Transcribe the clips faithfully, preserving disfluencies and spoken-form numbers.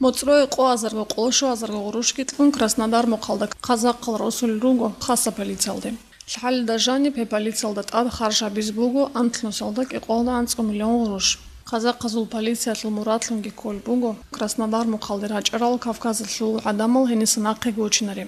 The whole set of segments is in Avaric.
МоцӀрое къо азарго, къоло щуазарго гъурущги кьун Краснодар мухъалда казахъал росулел руго хасаб полициялде. Лъалда жаниб гьеб полициялда тӀад харж гьабизе буго анлънусалда кӀикъоялда анцӀго миллион гъурущ. Казахъазул полициялъул мурадлъунги кколеб буго Краснодар мухъалде рачӀарал Кавказалъул гӀадамал гьениса нахъеги вучинари.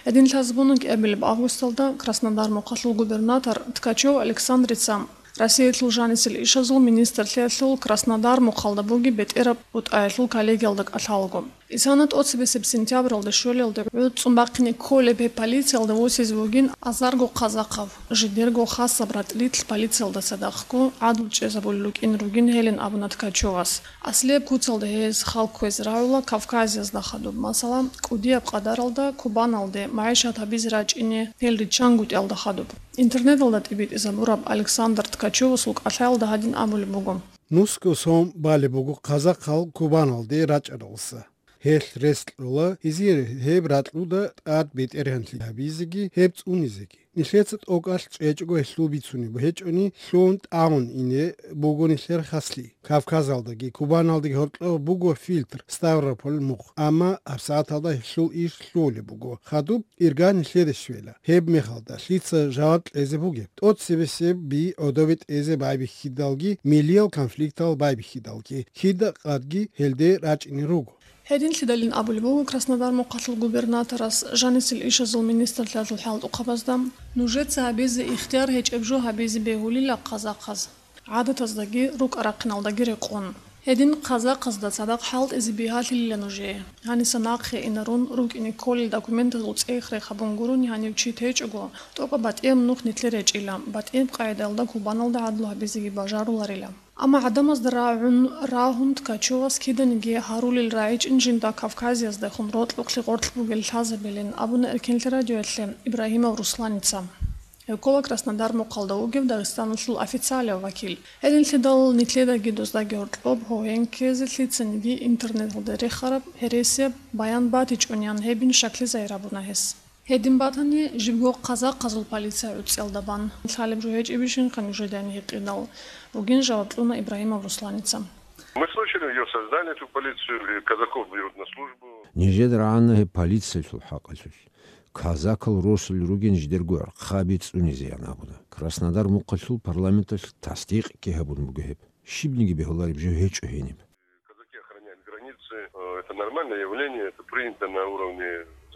Гьедин лъазабуна кӀиабилеб августалда Краснодар мухъалъул губернатор Ткачев Александрица Россиялъул жанисел ишазул министрлъиялъул Краснодар мухъалда бугеб бетӀераб бутӀаялъул коллегиялда кӀалъалаго. Исана тӀоцебесеб сентябралда щолелде гӀуцӀун бахъине кколеб гьеб полициялда восизе вугин азарго казахъав, жидерго хасаб ратӀлилъ полициялда цадахъго гӀадлу чӀезабулел рукӀин ругин гьелин абуна Ткачевас. Аслияб куцалда гьез хал кквезе рагӀула Кавказиязда хадуб, масала, кӀудияб къадаралда Кубаналде магӀишат гьабизе рачӀине гьел риччангутӀиялда хадуб. Интернеталда тӀибитӀизабураб Александр Ткачевасул кӀалъаялда гьадин абулеб буго. Нусго сон балеб буго казахъал Кубаналде рачӀаралса. Гьелъ рес кьола гьезие гьеб ракьуда тӀад бетӀергьанлъи гьабизеги, гьеб цӀунизеги. Нилъеца тӀокӀалъ чӀечӀого гьелъул бицунеб гьечӀони, лъугьун тӀагӀун ине буго нилъер хаслъи. Кавказалдаги Кубаналдаги гьоркьоб буго фильтр Ставрополь мухъ, амма гьабсагӀаталда гьелъул иш лъугьулеб буго. Хадуб ирга нилъеде щвела. Гьеб мехалда лъица жаваб кьезе бугеб? ТӀоцебесеб би гӀодобе тӀезе байбихьидалги, милиял конфликтал байбихьидалги, кида къадги гьелде рачӀине руго. Гьединлъидалин абулеб буго Краснодар мухъалъул губернаторас жанисел ишазул министрлъиялъул хӀалтӀухъабазда: «Нужеца гьабизе ихтияр гьечӀеб жо гьабизе бегьулила казахъаз. ГӀадатаздаги рукӀа-рахъиналдаги рекъон. Гьедин казахъазда цадахъ хӀалтӀизе бигьалъилила нужее. Гьаниса нахъе инарун рукӀине кколел документазул цӀех-рех гьабун гурони гьанив чи течӀого, тӀокӀаб батӀияб нух нилъер гьечӀила, батӀияб къагӀидаялда Кубаналда гӀадлу гьабизеги бажаруларила». Амма гӀадамазда рагӀун рагьун Ткачевас киданиги гьарулел рагӀичӀин жинда Кавказиязда хун рокьукълъи гъоркь бугел лъазабилин абуна Эркенлъи радиоялъе Ибрагьимов Русланица. Гьев ккола Краснодар мухъалда вугев Дагъистаналъул официалияв вакил. Гьединлъидал нилъедаги доздаги гьоркьоб гьовен ккезе лъицаниги интернеталда рехараб гьересияб баян батичӀониан гьебин щаклъи загьир гьабуна гьес. Гьедин батани, жибго казахъазул полиция гӀуцӀиялда бан. Лъалеб жо гьечӀебищинха нужеда гьикъидал, бугин жаваб кьуна Ибрагьимов Русланица. Мы слышали, её создали, эту полицию, и казаков берут на службу. Нижеда рагӀана гьеб полициялъул хӀакъалъулъ. Казакал росулел ругин жидерго гӀорхъаби цӀунизеян абуна. Краснодар мухъалъул парламенталъ тасдикъги гьабун буго гьеб. Щибниги бегьулареб жо гьечӀо гьениб. Казаки охраняют границы. Э, это нормальное явление, это принято на уровне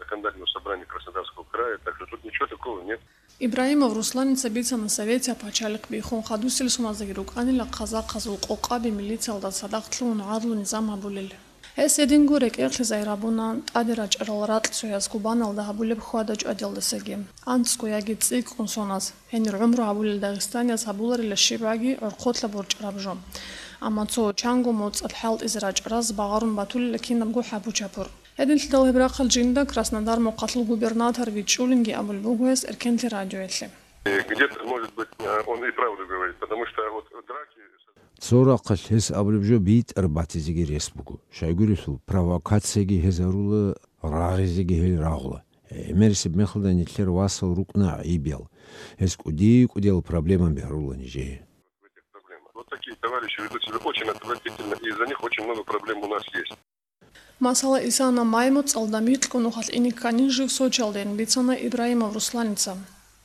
законодательного собрания Краснодарского края, так что тут ничего такого нет. Ибрагьимов Русланица бицана Советияб пачалихъ биххун хадусел суназдаги рукӀанила казахъазул къокъаби милициялда цадахъ лъугьун гӀадлу низам гьабулел. Гьес гьединго рекӀехъе загьир гьабуна тӀаде рачӀарал ракь цояз Кубаналда гьабулеб хьвада-чӀвадиялдасаги, анцӀго яги цӀикӀкӀун соназ, гьенир гӀумру гьабулел дагъистанияз гьабуларила щибгӀаги гӀорхъолъа борчӀараб жо. Амма цо чанго моцӀалъ хӀалтӀизе рачӀараз багъарун батулила кинабго хӀапу-чапур. Гьединлъидал гьеб рахъал жинда Краснодар мухъалъул губернатор вичӀчӀулинги абулеб буго гьес Эркенлъи радиоялъе. Где-то, может быть, э, он и правду говорит, потому что вот драки... Цо рахъалъ гьес абулеб жо битӀараб батизеги рес буго. Щайгурелъул провокацияги гьез гьарула, рагъизеги гьел рагъула. ГӀемерисеб мехалда нилъер васал рукӀуна гӀайибиял. Гьез кӀуди-кӀудиял проблемаби гьарула нижее. Вот такие товарищи ведут себя очень отвратительно, и из-за них очень много проблем у нас есть. Масала, Исана май моцӀалда микьго нухалъ ине кканин жив Сочиялдейин бицана Ибрагьимов Русланица.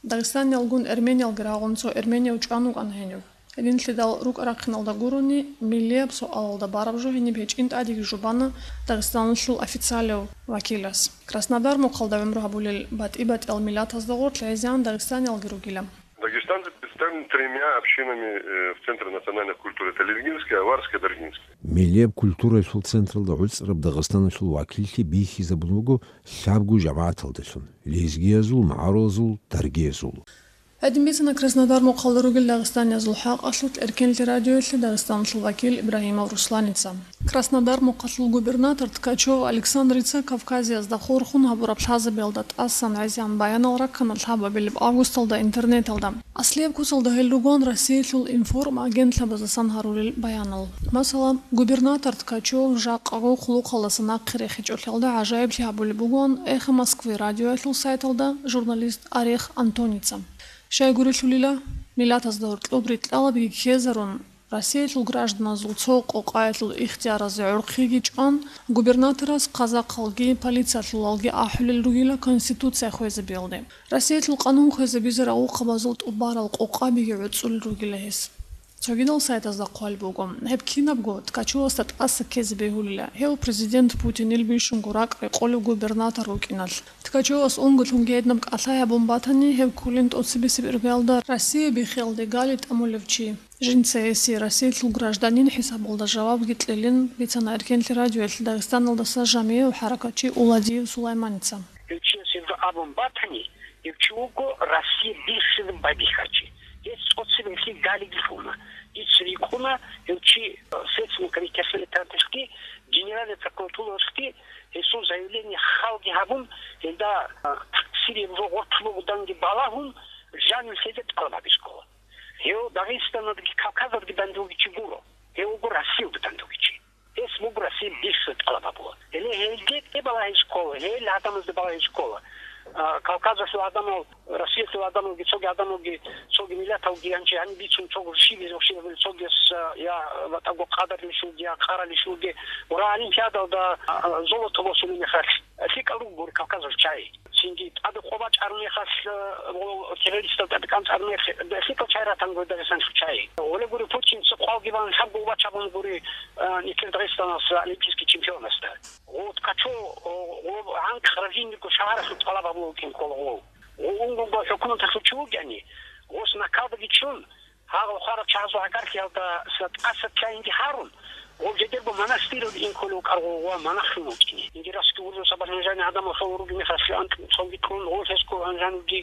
Дагъистаниялгун эрмениялги рагъун цо эрменияв чӀван вукӀана гьенив. Гьединлъидал рукӀа-рахъиналда гурони, миллияб суалалда бараб жо гьениб гьечӀин тӀадеги жубана Дагъистаналъул официалияв вакилас. Краснодар мухъалда гӀумру гьабулел батӀи-батӀиял миллатазда гъорлъ гӀезегӀан дагъистаниялги ругила. Дагестанцы представлены тремя общинами, э, в Центре национальной культуры. Это лезгинская, аварская, даргинская. Миллияб культуралъул централда гӀуцӀараб Дагъистаналъул вакиллъи бихьизабун буго лъабго жамагӀаталдалъун: лезгиязул, магӀарулазул, даргиязул. Гьедин бицана Краснодар мухъалда ругел дагъистаниязул хӀакъалъулъ Эркенлъи радиоялъе Дагъистаналъул вакил Ибрагьимов Русланица. Краснодар мухъалъул губернатор Ткачев Александрица Кавказиязда хурхун гьабураб лъазабиялда тӀасан гӀезегӀан баянал раккана лъабабилеб августалда интернеталда. Аслияб куцалда гьел ругоан Россиялъул информагентлъабаздасан гьарулел баянал. Масала, губернатор Ткачев жакъаго хъулухъалдаса нахъе рехичӀолъиялда гӀажаиблъи гьабулеб бугоан «Эхо Москвы» радиоялъул сайталда журналист Орех Антоница. Щайгурелъулила, миллатазда гьоркьоб рикьалабги ккезарун, Россиялъул гражданазул цо къокъаялъул ихтияразе гӀорхъиги чӀван, губернаторас хъазахъалги полициялъулалги ахӀулел ругила Конституция хвезабиялде. Россиялъул къанун хвезабизе рагъухъабазул тӀубарал къокъабиги гӀуцӀулел ругила гьес. Цогидал сайтазда хъвалеб буго, гьеб кинабго Ткачевасда тӀаса ккезе бегьулила, гьев президент Путинил бищунго ракӀ рекъолев губернатор вукӀиналъ. Ткачевас унго лъунги гьединаб кӀалъай гьабун батани, гьев кколин тӀоцебесеб иргаялда Россия биххиялде гали тӀамулев чи. Жинца гьесие Россиялъул гражданин хӀисабалда жавабги кьелин бицана Эркенлъи радиоялъ Дагъистаналдаса жамигӀияв хӀаракатчи Уладиев Сулайманица. Гьев чияс гьеб абун батани, гьев чи вуго Россия биххизаб байбихьарчи. Гьес цӀоцебе гьелъие галиги лъугьуна. Дица рикӀкӀуна, гьев чи, э, Следственный комитеталъги, Генеральный прокуратуралъги гьесул заявление халги гьабун, гьелда, э, такъсирияб жо гъоркь бугоданги балагьун, жанив лъезе тӀалаб гьабизе ккола. Гьев Дагъистаналдаги Кавказалдаги данде вугев чи гуро. Гьев вуго Россиялда данде вугев чи. Гьес буго Россия биххизаб тӀалаб гьабула. Гьеле гьелде кӀе балагьизе ккола, гьел гьадамазда балагьизе ккола. А, Кавказалъул гьадамал, Россиялъул гьадамалги, цоги гьадамалги, цоги миллаталги гьанже гьаниб бицун, цого щибизе, щибизе, цогияс, а, я батӀаго къадарилищулги, я къаралищулги. Ура, Олимпиадалда, а, а, золото босулеб мехалъ, лъикӀал руго гури Кавказалъ чай. Цинги тӀаде къо бачӀараб мехалъ, э, гъо-, террористал тӀаде кӀанцӀараб мехалъ, лъикӀал чай ратанго Дагъистаналъ чай. Гъоле гури Путин цо хъвалги бан, лъабго убач гьабун гури, э, нилъер Дагъистаналъ олимпийский чемпионасда. Гъо Ткачев, о, гъо гӀанкъ Равинниго шагьаралъул тӀалаб гьабулев вукӀин ккола гъо. Гъо унгунго хӀукуматалъул чи вугани, гъос накалдаги чун, гьагъал хвараб чагӀазул гӀагарлъиялда тӀаса кканинги гьарун, гъов жидерго монастыралде ин кколев вукӀарго ва монахлъун вукӀине. Инги раскиурзуса баржанжани гӀадамал хавуруги мехалъ анкь цонги кьун, гъов гьесго гьанжануги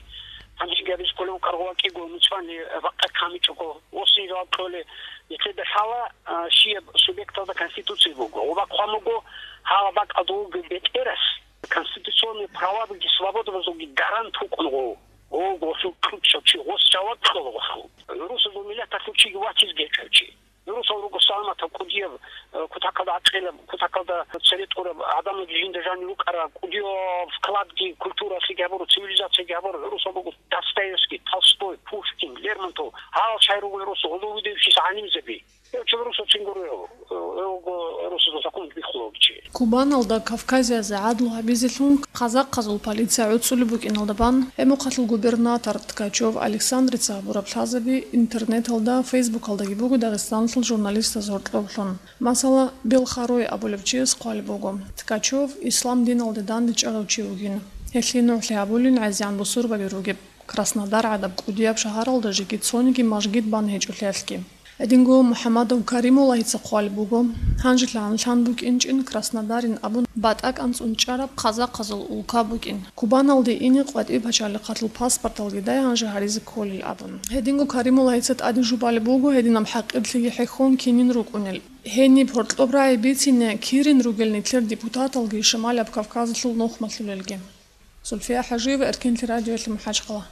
гьанжеги гьабиз кколев вукӀарго ва кӀиго муцӀванни бакъа камичӀого, гъосин жаваб кьоле, нилъеда лъала, а, щияб субъекталда Конституция буго, гъоба хъван буго, гьала бакӀалда вуго бетӀерас конституционный правабиги свободабазулги гарант вукӀун гъов. Ого, гъосул кьучӀав чи, гъос жаваб кьола гъосул. Русазул миллаталъул чиги ватизги гьечӀев чи. Русал руго саламатаб, кӀудияб, э, кутакалда гӀакъилаб, кутакалда цере тӀураб, гӀадамалги жинда жанир рукӀарал, кӀудияб вкладги культуралъеги гьабураб, цивилизациялъеги гьабураб. Русал руго Достоевский, Толстой, Пушкин, Лермонтов. Гьал чай руго русул, гьудул-гьудулчияс гӀалимзаби. Гьев чи русацин гуро, гьев, гьев вуго русазул закон биххулев чи. Кубаналда Кавказиязе гӀадлу гьабизелъун хъазахъазул полиция гӀуцӀулеб букӀиналда бан, гӀемухъалъул губернатор Ткачев Александрица гьабураб лъазаби интернеталда, Фейсбукалдаги буго дагъистанлъул журналистаз гьоркьоблъун. Масала, Белхарой абулев чияс хъвалеб буго, Ткачев ислам диналде дандечӀарав чи вугин. Гьелъие нугӀлъи гьабулин гӀезегӀан бусурбаби ругеб. Краснодар гӀадаб кӀудияб шагьаралда жеги цониги мажгит бан гьечӀолъиялъги. Гьединго МухӀамадов Каримуллагьица хъвалеб буго, гьанжелъагӀан лъан букӀинчӀин Краснодарин абун батӀа кӀанцӀун чӀараб хъазахъазул улка букӀин. Кубаналде ине къватӀиб пачалихъалъул паспорталги дай гьанже гьаризе кколел абун. Гьединго Каримуллагьица тӀаде жубалеб буго гьединаб хӀакъирлъиги хӀехьон кинин рукӀунел. Гьениб гьоркьоб рагӀи бицине кирин ругел нилъер депутаталги Шамалияб Кавказалъул нухмалъулелги. Зульфия ХӀажиева, Эркенлъи радиоялъ, МахӀачхъала.